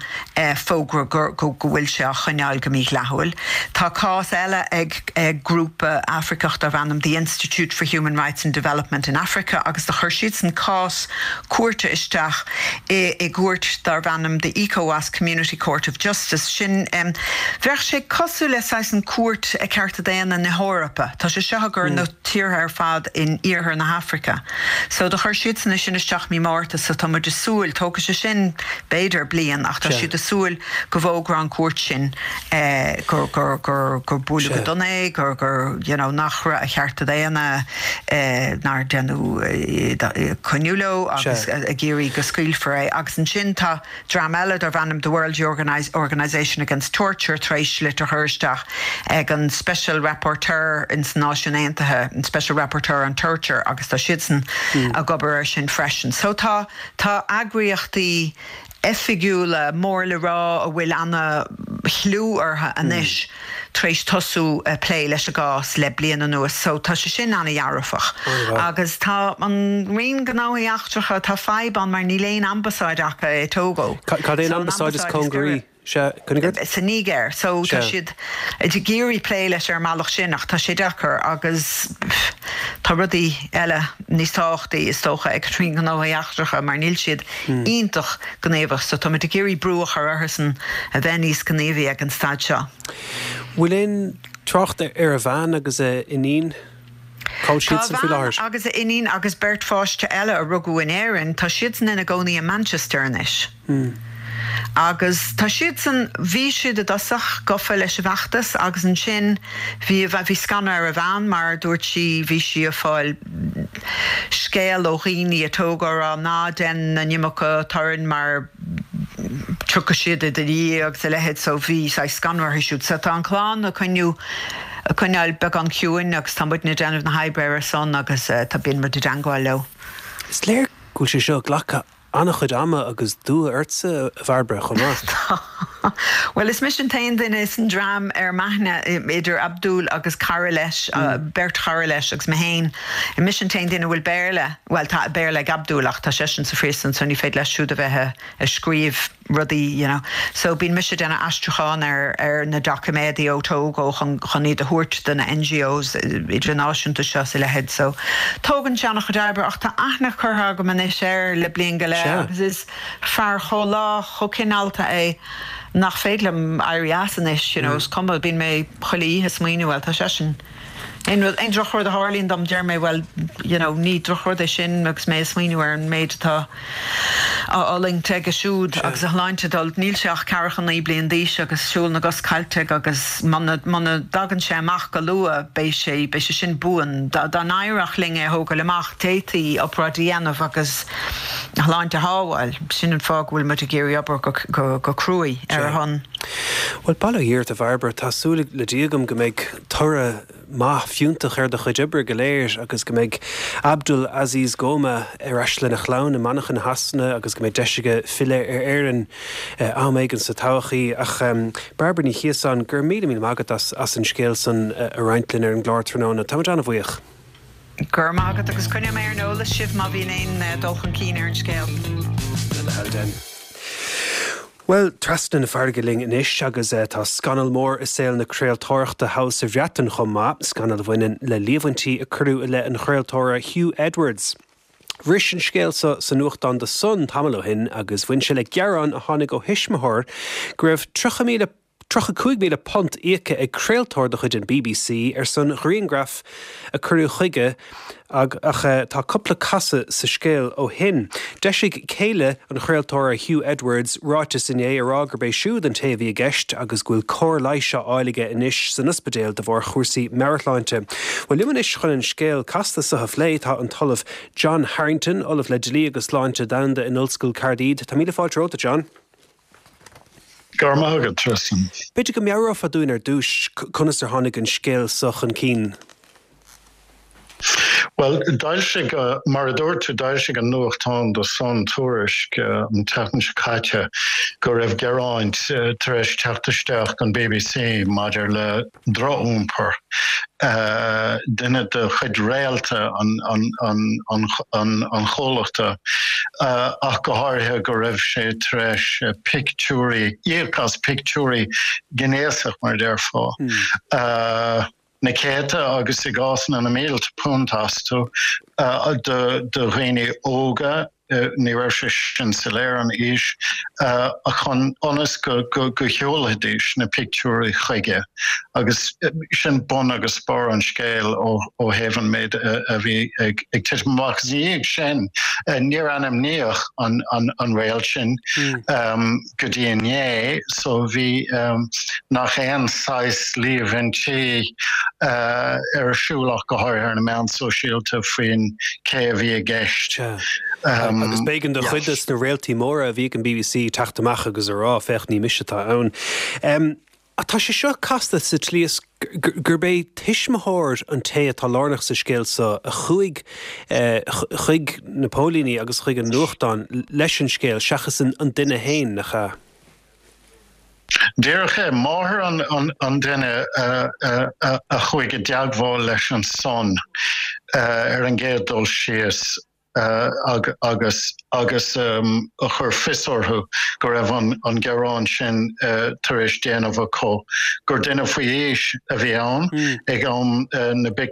S5: fógra go go bhfuil sé á choinneáil go mídhleathúil. Tá cás eile ag ag grúpa Afraiceach darb ainm The Institute for Human Rights and Development in Africa agus do chuir siadsan cás cúirte isteach i i gcúirt darb ainm The ECOWAS Community Court of Justice. Sin, bheadh sé cosúil le saghas an Cúirt Cearta Daonna na hEorpa. Tá sé seo i gcomhair na tíortha ar fad in iarthar na hAfraice. So do chuir siadsan é sin isteach mí Márta so tá muid ag súil, tógfaidh sé sin b'fhéidir bliain ach tá siad ag súil go bhfógróidh an cúirt sin gur gur gur gur buaileadh go dona é, gur gur you know nach raibh a chearta daonna nár deineadh coinniú leo agus ag iarraidh go scaoilfear é. Agus ansin tá dream eile darb ainm The World Organisation Against Torture tar éis litir a chur isteach ag an Special Rapporteur ins na Náisiúin Aontaithe, an Special Rapporteur on Torture agus tá siadsan ag obair air sin freisin. So tá tá eagraíochtaí oifigiúla mór le rá a bhfuil ana-chliú orthu anois tar éis tosú ag plé leis an gcás le bliain anuas so tá sé sin ana-dhearfach. Agus tá an Roinn Gnóthaí Eachtracha, tá fadhb ann mar níl aon ambasáid acu i Togo.
S1: Cad é an ambasáid is cóngaraí? Sea,
S5: cuimhnigh ort? Sa Nigéir. So tá siad ag iarraidh plé leis ar an mbealach sin ach tá sé deacair agus tá rudaí eile níos tábhachtaí is dócha ag an Roinn Gnóthaí Eachtracha mar níl siad iontach gníomhach so táimid ag iarraidh brú a chur orthusan a bheith níos gníomhaí ag an staid seo.
S1: Bhfuil aon trácht ar a bhean agus a iníon? Cá bhfuil
S5: Tá a
S1: siadsan faoi
S5: bhean
S1: láthair?
S5: agus a iníon agus beirt pháiste eile a rugadh in Éirinn, tá siadsan ina gcónaí i Manchester anois. Agus tá siadsan, bhí siad i dtosach gafa leis an bhfeachtas agus ansin bhí, bhí scanradh ar a bhean mar dúirt sí, bhí sí ag fáil scéal ó dhaoine i Togo ag rá ná déan an iomarca torainn mar tiocfaidh siad i do dhiaidh agus a leithéid so bhí saghas scanradh uirthi siúd. So tá an chlann ag coinniú, ag coinneáil beagán ciúin agus tá muidne ag déanamh na hoibre ar a son agus tá, bíonn muid i dteangmháil leo.
S1: Is léir go bhfuil sé seo ag glacadh an-chuid ama agus dua ortsa, a Bhairbre, chomh maith.
S5: Tá. Bhuel, is mise an t-aon duine san dream ar m'aithne, idir Abdul agus cara leis, beirt chara leis agus mé féin, mise an t-aon duine a bhfuil Béarla, bhuel, tá Béarla ag Abdul ach tá seisean sa phríosún so ní féidir leis siúd a bheith ag scríobh rudaí, you know. So bíonn mise ag déanamh aistriúchán ar ar na doiciméadaí ó Togo chun chun iad a thabhairt do na NGOs idirnáisiúnta seo is a leithéid. So tógann sé an-chuid oibre ach tá aithne curtha agam anois air le bliain go leith agus is fear chomh lách, chomh cineálta é nach féidir liom éirí as anois, you know, is cuma, bíonn mé chuile oíche ag smaoineamh, bhuel tá seisean. Aon rud, aon drochrud a tharlaíonn dom, deir mé, bhuel, you know, ní drochrud é sin agus mé ag smaoineamh ar an méid atá á fhulaingt aige siúd agus a shláinte ag dul. Níl sé ach ceathracha 9 bliain d'aois agus siúl na gcos caillte aige agus muna, muna dtagann sé amach go luath beidh sé, beidh sé sin buan. Dá, dá n-éireodh linn é a thógáil amach, d'fhéadfaí obráid a dhéanamh agus a shláinte a shábháil. Sin an fáth go bhfuil muid ag iarraidh obair go, go, go cruaidh ar a shon.
S1: Bhuel, bail ó Dhia ort, a Bhairbre. Tá súil le Dia agam go mbeidh toradh maith fiúntach ar do chuid oibre go léir agus go mbeidh Abdul Aziz Gomaa ar ais lena chlann i Manchain Shasana agus go mbeidh deis aige filleadh ar Éirinn am éigin sa todhchaí. Ach Bairbre Ní Chiosáin, go raibh míle míle maith agat as an scéal san a roinnt linn ar an gclár tráthnóna. Táimid an-bhuíoch.
S5: Go raibh maith agat agus coinneoidh mé ar an eolas sibh má bhíonn aon dul chun cinn ar an scéal.
S1: Le do thoil, déan. Bhuel, trasna na farraige linn anois agus tá scannal mór i saol na craoltóireachta thall sa Bhreatain chomh maith, scannal a bhaineann le líomhaintí a cuireadh i leith an chraoltóra Huw Edwards. Bhris an scéal seo sa nuachtán The Sun tamall ó shin agus bhain sé le gearán a tháinig ó thuismitheoir go raibh 30,000 £35,000 íoctha ag craoltóir de chuid an bbc ar son ghriangraf a cuireadh chuige ach tá cúpla casadh sa scéal ó shin. D'eisigh céile an chraoltóra Huw Edwards ráiteas inné a rá gurb é siúd an té a bhí i gceist agus go bhfuil cóir leighis á fháil aige anois san ospidéal de bharr chúrsaí meabhairshláinte. Bhuel liom anois chun an scéal casta seo a phlé tá an tOllamh John Harrington, Ollamh le Dlí agus Sláinte Domhanda in Ollscoil Caerdydd. Tá míle fáilte romhat, a John.
S6: Go raibh maith agat, Tristan.
S1: B'fhéidir go meabhrófá dúinn ar dtús conas ar tháinig an scéal seo chun cinn?
S6: Bhuel, d'fhoilsigh, mar a dúirt tú, d'fhoilsigh an nuachtán The Sun tuairisc an tseachtain seo caite go raibh gearáin tar éis teacht isteach don bbc maidir le drochiompar duine de chuid réalta an chomhlachta, ach go háirithe go raibh sé tar éis pictiúirí, íoc as pictiúirí gnéasach, mar a déarfá, na céadta agus i gcásanna na mílte punt astu do dhaoine óga. ní raibh sé sin soiléir an aois, chun ionas go go sheolfaidís na pictiúirí chuige agus sin bun agus barr an scéil ó thaobh an méid a bhí ag titim amach. Agus ina dhiaidh sin níor ainmníodh an réalt sin go dtí inné so bhí nach aon saghas líomhaintí ar siúl ach go háirithe ar na meáin sóisialta faoin cé a bhí i gceist.
S1: Agus b'éigean do chuid des na réaltaí móra a bhí ag an bbc teacht amach agus a rá, féach, ní mise atá ann. Ach tá sé seo casta sa tslí is gurb é tuismitheoir an té atá lárnach sa scéal seo a chuaigh chuig na póilíní agus chuig an nuachtán leis an scéal seachas an duine féin, nach ea?
S6: Díreach é. Máthair an duine a chuaigh i dteagmháil leis an Sun ar an gcéad dul síos. agus agus a chuir fios orthu go raibh an gearán sin tar éis déanamh acu, gur duine faoi aois a bhí ann ag am na ar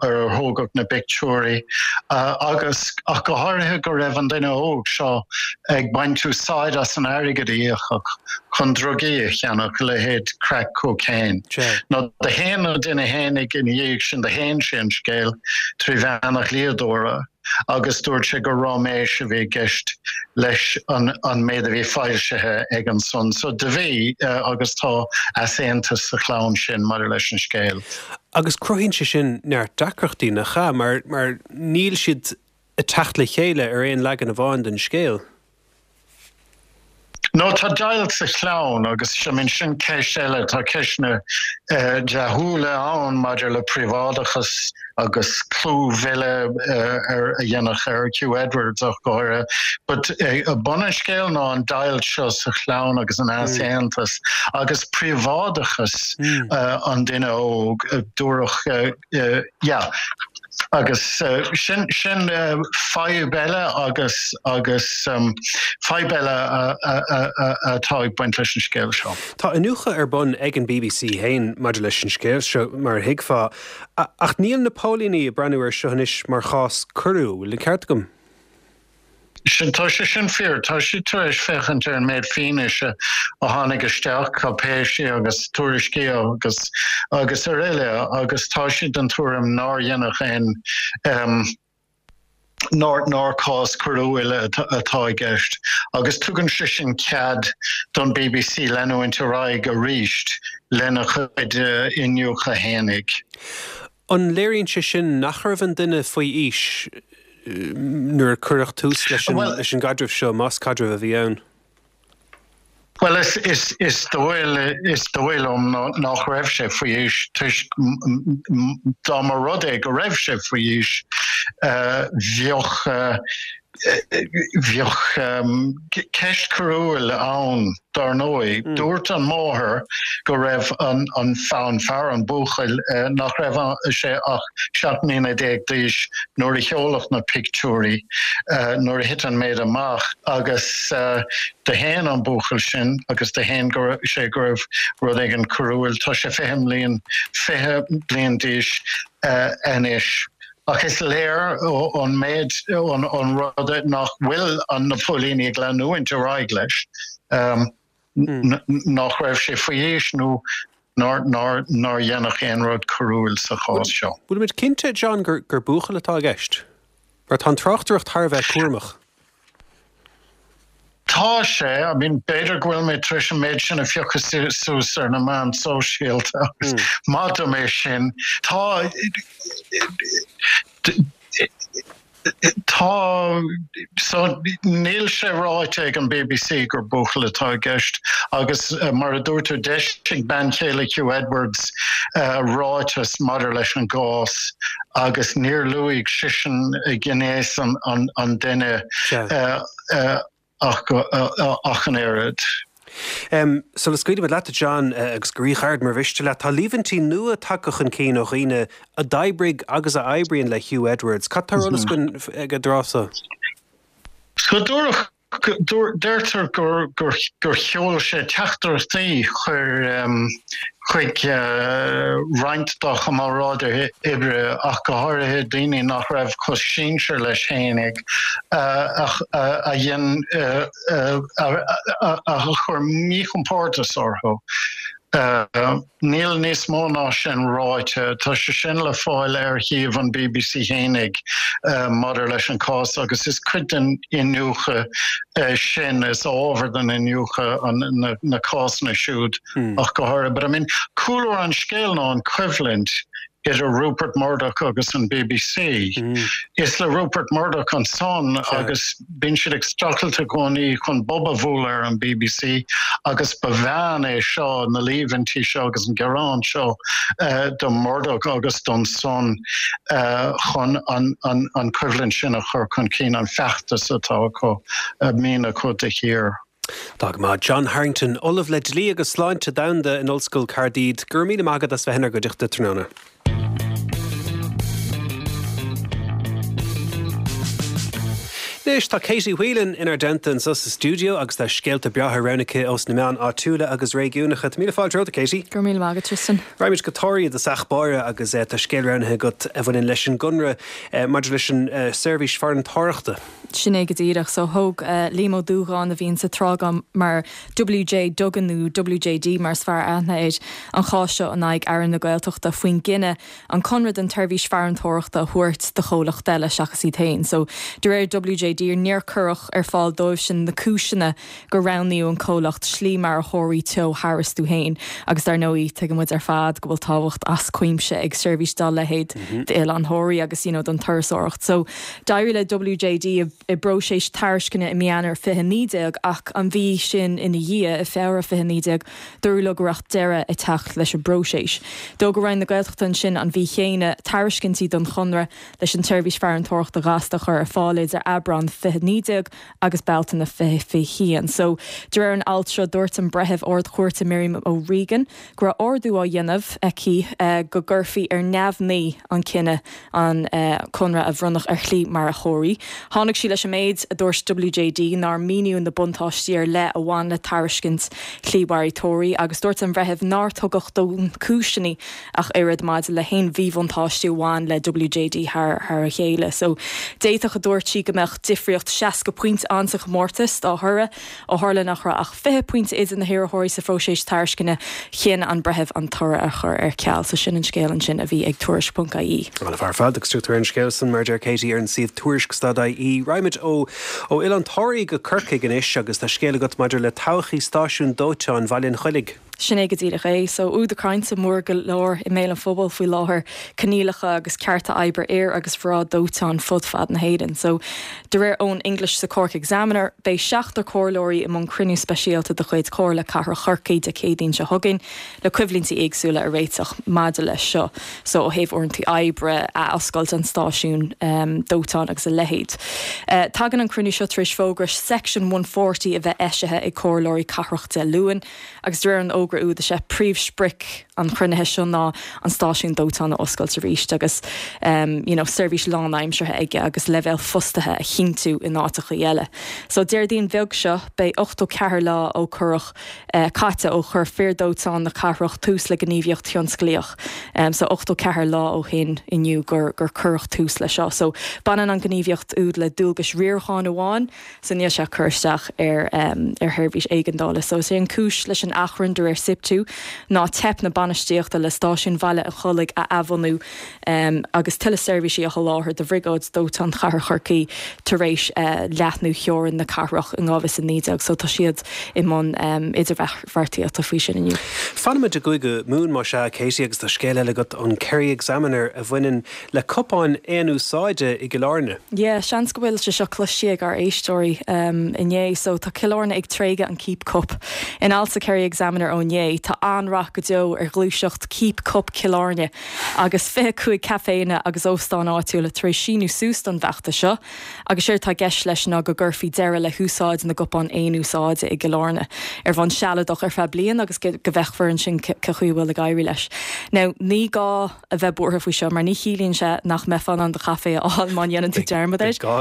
S6: ar thógadh na bpictiúirí agus ach go háirithe go raibh an duine óg seo ag baint úsáid as an airgead a íocadh chun drugaí a cheannach, a leithéid crack cocaine. Now do shéan an duine fhéinig ina dhiaidh sin, do shéan sé an scéal trí mheán a dhlíodóra agus dúirt sé gur ráiméis a bhí i gceist leis an méid a bhí foilsithe ag an Sun. So do bhí agus tá easaontas sa chlann sin maidir leis an scéal.
S1: Agus cruthaíonn sé sin neart deacrachtaí, nach ea? Mar mar níl siad ag teacht le chéile ar aon leagan amháin den scéal.
S6: No, tá deighilt sa chlann agus I mean sin ceist eile, tá ceisteanna dlíthiúla ann maidir le príobháideachas agus clúmhilleadh ar a dhéanamh ar Huw Edwards ach go háirithe. But bun an scéil ná an deighilt seo sa chlann agus an easaontas agus príobháideachas an duine óg, dúradh yeah. Agus sin sin fadhb eile agus agus fadhb eile atá ag baint leis an scéal seo.
S1: Tá iniúchadh ar bun ag an bbc féin maidir leis an scéal seo, mar a thuigfeá, ach níl na póilíní ag breathnú air seo anois mar chás coiriúil, bhfuil an ceart agam?
S6: Sin, tá sé sin fíor. Tá siad tar éis féachaint ar an méid fianaise a tháinig isteach, cáipéisí agus tuairiscí agus agus araile agus tá siad den tuairim nár deineadh aon nár nár cás coiriúil atá i gceist agus tugann sé sin cead don bbc leanúint ar aghaidh arís lena chuid iniúchadh fhéinig.
S1: An léiríonn sé sin nach raibh an duine faoi aois nuair a cuireadh tús leis an gcaidreamh seo, más caidreamh a bhí ann?
S6: Bhuel, is dóigh liom nach raibh sé faoi aois toisc dá mba rud é go raibh sé faoi aois, bheadh. Bheadh ceist coiriúil ann, dar ndóigh. Dúirt an mháthair go raibh an fear, an buachaill, nach raibh sé ach 17 mbliana d'aois nuair a sheoladh na pictiúirí, nuair a thit an méid amach, agus do shéan an buachaill sin agus do shéan sé go raibh rud éigin coiriúil. Tá sé 20 mbliain, 20 bliain d'aois anois. Ach is léir ón méid, ón rud nach bhfuil na póilíní ag leanúint ar aghaidh leis, nach raibh sé faoi aois nó nár deineadh aon rud coiriúil sa chás seo.
S1: Bhfuilimid cinnte, John, gur buachaill atá i gceist? Mar tá an tráchtaireacht thar a bheith cúramach.
S6: Tá sé, I mean, b'fhéidir go bhfuil mé tar éis an méid sin a phiocadh suas ar na meáin sóisialta agus maith dom é sin. Tá, tá, so níl sé ráite ag an bbc gur buachaill atá i gceist agus mar a dúirt tú, d'eisigh bean chéile Huw Edwards ráiteas maidir leis an gcás agus níor luaigh seisean gnéas an duine ach an oiread.
S1: Sula scaoilfimid leat, a John, agus go ríghairid mar mhiste leat, tá líomhaintí nua tagtha chun cinn ó dhaoine a d'oibrigh agus a oibríonn le Huw Edwards. Cad tá ar eolas againn ag an dtráth so?
S6: So dúradh Deirtear gur sheol sé teachtaireachtaí chuig roinnt dá chomrádaithe oibre, ach go háirithe daoine nach raibh chomh sinsear leis fhéinig, a dhein a chuir míchompórdas orthu. Níl níos mó ná sin ráite. Tá sé sin le fáil ar shuíomh an bbc fhéinig maidir leis an cás agus is cuid den iniúchadh sin, is ábhar den iniúchadh na cásanna siúd ach go háirithe. But I mean, cúlra an scéil ná an choimhlint idir Rupert Murdoch agus an bbc. Is le Rupert Murdoch an Sun agus bíonn siad ag streachailt i gcónaí chun bob a bhualadh ar an bbc agus ba mheán é seo, na líomhaintí seo agus an gearán seo do Murdoch agus don Sun chun an choimhlint sin a chur chun cinn, an feachtas atá acu, a mbíonn acu de shíor.
S1: Tá go maith. John Harrington, Ollamh le Dlí agus Sláinte Domhanda in Ollscoil Caerdydd, go raibh míle maith agat as bheith inár gcuideachta tráthnóna. Anois tá Katie Whelan inár dteannta anseo sa stiúideo agus tá scéalta breátha roghnaithe aici ós na meáin áitiúla agus réigiúnacha. Tá míle fáilte romhat, a Katie.
S7: Go raibh míle maith agat, Tristan.
S1: Raghaimid go Toraigh i dtosach báire agus tá scéal roghnaithe agat a bhaineann leis an gconradh maidir leis an seirbhís farantóireachta.
S7: Sin é go díreach. So thóg Liam Ó Dúgáin, a bhíonn sa tráth mar WJ Duggan nó WJD mar is fearr aithne air, an chás seo in aghaidh Aire na Gaeltachta faoin gcinneadh an conradh don tseirbhís farantóireachta a thabhairt do chomhlacht eile seachas iad féin. So de réir WJD níor cuireadh ar fáil dóibhsean na cúiseanna gur roghnaíodh an comhlacht Slí Mara Thoraí Teo tharastu féin agus dar ndóigh tuigeann muid ar fad go bhfuil tábhacht as cuimse ag seirbhís dá leithéid d'Oileán Thoraí agus you know don turasóireacht. So d'éirigh le WJD i bpróiseas tairisceana i mí Eanáir 2019 ach an mhí sin ina dhiaidh, i Feabhra 2019, dúradh leo go raibh deireadh ag teacht leis an bpróiseas. D'fhógair Roinn na Gaeltachta ansin an mhí chéanna tairiscintí don chonradh leis an tseirbhís farantóireachta ghasta a chur ar fáil idir Aibreán 2019 agus Bealtaine 2021. So, de réir an ailt seo, dúirt an Breitheamh Ard-Chúirte Miriam O'Regan go raibh ordú á dhéanamh aici go gcuirfí ar neamhní an cinneadh an conradh a bhronnadh ar Shlí Mara Thoraí. Tháinig sí leis an méid a dúirt WJD nár míníodh na buntáistí ar leith a bhain le tairiscint Shlí Mhara Thoraí agus dúirt an Bhreitheamh nár tugadh dóthain cúiseanna ach oiread maidir le haon mhíbhuntáistí a bhain le WJD thar a chéile. So, d'fhéadfadh, a dúirt sí, go mbeadh difríocht 60 pointe ann sa chomórtas dá thoradh. Ó tharla nach raibh ach 20 pointe idir na hiarrthóirí sa phróiseas tairisceana, chinn an breitheamh an toradh a chur ar ceal. So sin an scéal ansin a bhí ag Tuairisc.ie.
S1: An-mhaith ar fad agus tugtar an scéal san mar a deir Katie ar an suíomh tuairisc.ie. Raghaimid ó ó Oileán Thoraí go Corcaigh anois agus tá scéal agat maidir le todhchaí stáisiún dóiteáin Bhaile an Choilligh.
S7: Sin é go díreach é. So, údar cainte mór go leor i mbéal an phobail faoi láthair, coinníollacha agus cearta oibre fhir agus mhná dóiteáin fud fad na hÉireann. So, de réir Eoin English sa Cork Examiner, beidh seachtar comhairleoirí i mbun cruinniú speisialta de chuid Chomhairle Cathrach Chorcaí Dé Céadaoin seo chugainn le coimhlíntí éagsúla a réiteach maidir leis seo. So, ó thaobh uaireanta oibre, athoscailt an stáisiúin dóiteáin agus a leithéid. Tagann an cruinniú seo tar éis fógra Section 140 a bheith eisithe ag comhairleoirí cathrach Dé Luain. Agus de réir an fhógra úd, is é príomhsprioc an chruinnithe seo ná an stáisiún dóiteáin a oscailt arís agus you know seirbhís lánaimseartha aige agus leibhéal fostaithe a chinntiú in áiteachaí eile. So Déardaoin bheag seo, beidh 84 lá ó cuireadh caite ó chuir fir dóiteáin na cathrach tús le gníomhaíocht thionsclaíoch. So 84 lá ó shin inniu gur gur cuireadh tús leis seo. So baineann an ghníomhaíocht úd le dualgais riaracháin amháin. So níl sé ag cur isteach ar ar sheirbhís éigeandála. So is é an cúis leis an achrann de réir SIPTU ná teip na bainistíochta le stáisiún Bhaile an Chollaigh a athbhunú agus tuilleadh seirbhísí a sholáthar do Bhriogáid Dóiteáin Chathair Chorcaí tar éis leathnú theorainn na cathrach in 2019. So tá siad i mbun idirbheartaíochta faoi sin inniu.
S1: Fanfaimid i gCúige Mumhan más ea, Katie, agus tá scéal eile agat ón Kerry Examiner a bhaineann Le cupáin aon-úsáide i gCill Airne.
S7: Yeah, seans go bhfuil sé seo cloiste ag ár éisteoirí inné. So tá Cill Airne ag tréigeadh an Keep Cup. In alt sa Kerry Examiner ó inné, tá an-rath go deo ar ghluaiseacht Keep Cup Chill Airne agus 25 caiféanna agus óstáin áitiúla tar éis síniú suas don bhfeachtas seo agus séard atá i gceist leis ná go gcuirfí deireadh le húsáid na gcupán aon-úsáide i gCill Airne ar bhonn sealadach ar feadh bliain agus go bhfeicfear ansin cé chaoi a bhfuil ag éirí leis. Now ní gá a bheith buartha faoi seo mar ní chiallaíonn sé nach mbeifeá in ann do chaife a fháil má dhéanann tú dearmad air.
S1: Beidh gá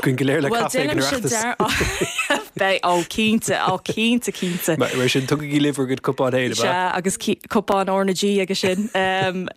S1: againn go léir le caife ag an Oireachtas.
S7: Beidh, ó cinnte, ó cinnte, cinnte.
S1: Mar sin, tugaigí libh bhur gcuid cupán féin, ab
S7: ea? Sea, agus cupán R na G aige sin.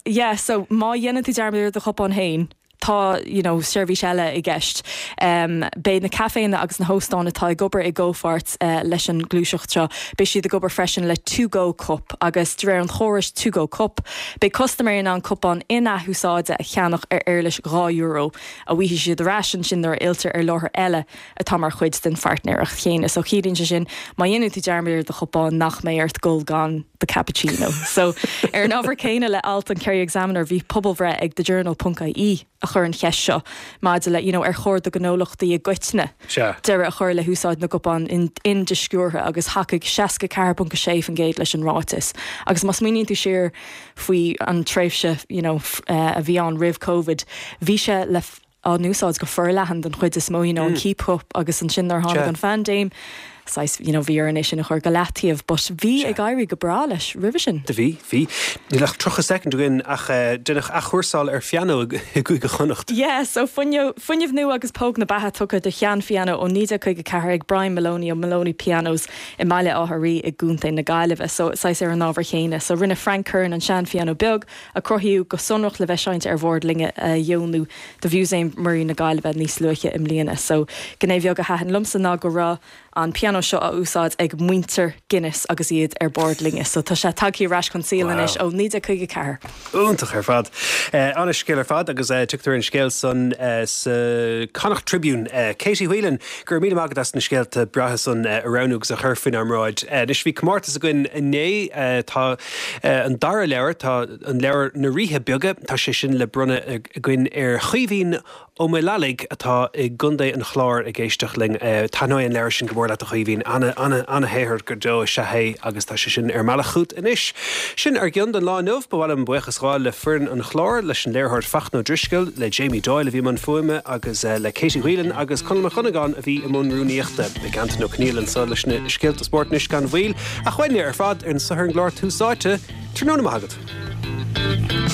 S7: Yeah, so má dhéanann tú dearmad ar do chupán féin, tá you know seirbhís eile i gceist. Beidh na caiféanna agus na hóstáin atá ag obair i gcomhpháirt leis an ngluaiseacht seo, beidh siad ag obair freisin le To Go Cup agus de réir an chórais To Go Cup, beidh custaiméirí in ann cupán in-athúsáide a cheannach ar éarlais €2 a bhfaighidh siad ar ais ansin nuair a fhilltear ar láthair eile atá mar chuid den phairtnéireacht chéanna. So ciallaíonn sé sin má dhéanann tú dearmad ar do chupán nach mbeidh ort dul gan do cappuccino. So ar an ábhar céanna le alt an Kerry Examiner bhí pobalbhreith ag The Journal ponc ie a chuir an cheist seo maidir le you know ar chóir do ghnólachtaí i gcoitinne deireadh a chur le húsáid na gcupán in-dísciúrtha agus thacaigh 64.6% leis an ráiteas. Agus má smaoiníonn tú siar faoi an tréimhse you know a bhí ann roimh Covid bhí sé le á n-úsáid go forleathan den chuid is mó, you know, an keep cup agus ansin nuair a tháinig an phaindéim, saghas, you know, bhí orainn é sin a chur go leataobh but bhí ag éirí go breá leis roimhe sin.
S1: Do bhí, bhí. Níl ach 30 soicind againn ach deineadh athchúrsáil ar phianó i gCúige Chonnacht.
S7: Yeah, so fuinneamh nua agus póg na beatha tugtha do shean-phianó ó 1954 ag Brian Moloney ó Moloney Pianos i mBaile Átha Rí i gContae na Gaillimhe. So saghas ar an ábhar chéanna. So rinne Frank Curran an sean-phianó beag a cruthaíodh go sonrach le bheith seinnte ar bhord loinge a dheonú do Mhúsaem Muirí na Gaillimhe níos luaithe i mbliana. So, gné bheag a thaitin liomsa ná go raibh an pianó seo á úsáid ag muintir Guinness agus iad ar bord loinge. So, tá sé tagtha ar ais chun saoil anois ó 1954.
S1: Iontach ar fad. Ana-scéal ar fad agus tugtar an scéal san sa Connacht Tribune. Katie Whelan, go raibh míle maith agat as na scéalta breátha san a roghnú agus a chur faoinár mbráid. Anois bhí comórtas againn inné. Tá An dara leabhar, tá an leabhar Na Ríthe Beaga, tá sé sin le bronnadh againn ar Chaoimhín Ó Maolalaigh atá i gContae an Chláir ag éisteacht linn. Taitneoidh an leabhar sin go mór leat a Chaoimhín. Ana, ana, ana-shaothar go deo is ea é agus tá sé sin ar an mbealach chugat anois. Sin ár gcion don lá inniu. Ba mhaith liom buíochas a ghabháil le foireann an chláir, leis an léiritheoir Fachtna Ó Drisceoil, le Jamie Doyle a bhí i mbun fuaime agus le Katie Whelan agus Conall Mac Dhonnagáin a bhí i mbun rúnaíochta. Beidh Antain Ó Conghaile anseo leis na scéalta spóirt anois gan mhoill. Ach uainne ar fad anseo ar an gclár Tús Áite, tráthnóna maith agat.